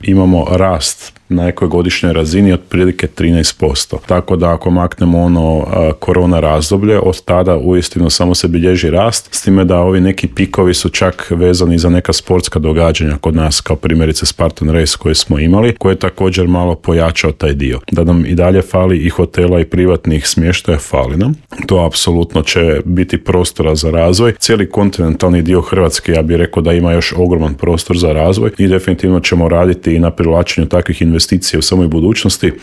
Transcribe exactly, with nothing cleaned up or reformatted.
imamo rast na nekoj godišnjoj razini otprilike trinaest posto. Tako da ako maknemo ono uh, korona razdoblje, od tada uistinu samo se bilježi rast, s time da ovi neki pikovi su čak vezani za neka sportska događanja kod nas, kao primjerice Spartan Race koje smo imali, koje je također malo pojačao taj dio. Da nam i dalje fali i hotela i privatnih smještaja, fali nam. To apsolutno će biti prostora za razvoj. Cijeli kontinentalni dio Hrvatske, ja bih rekao da ima još ogroman prostor za razvoj i definitivno ćemo raditi i na privlačenju takvih investicija u samoj budućnosti.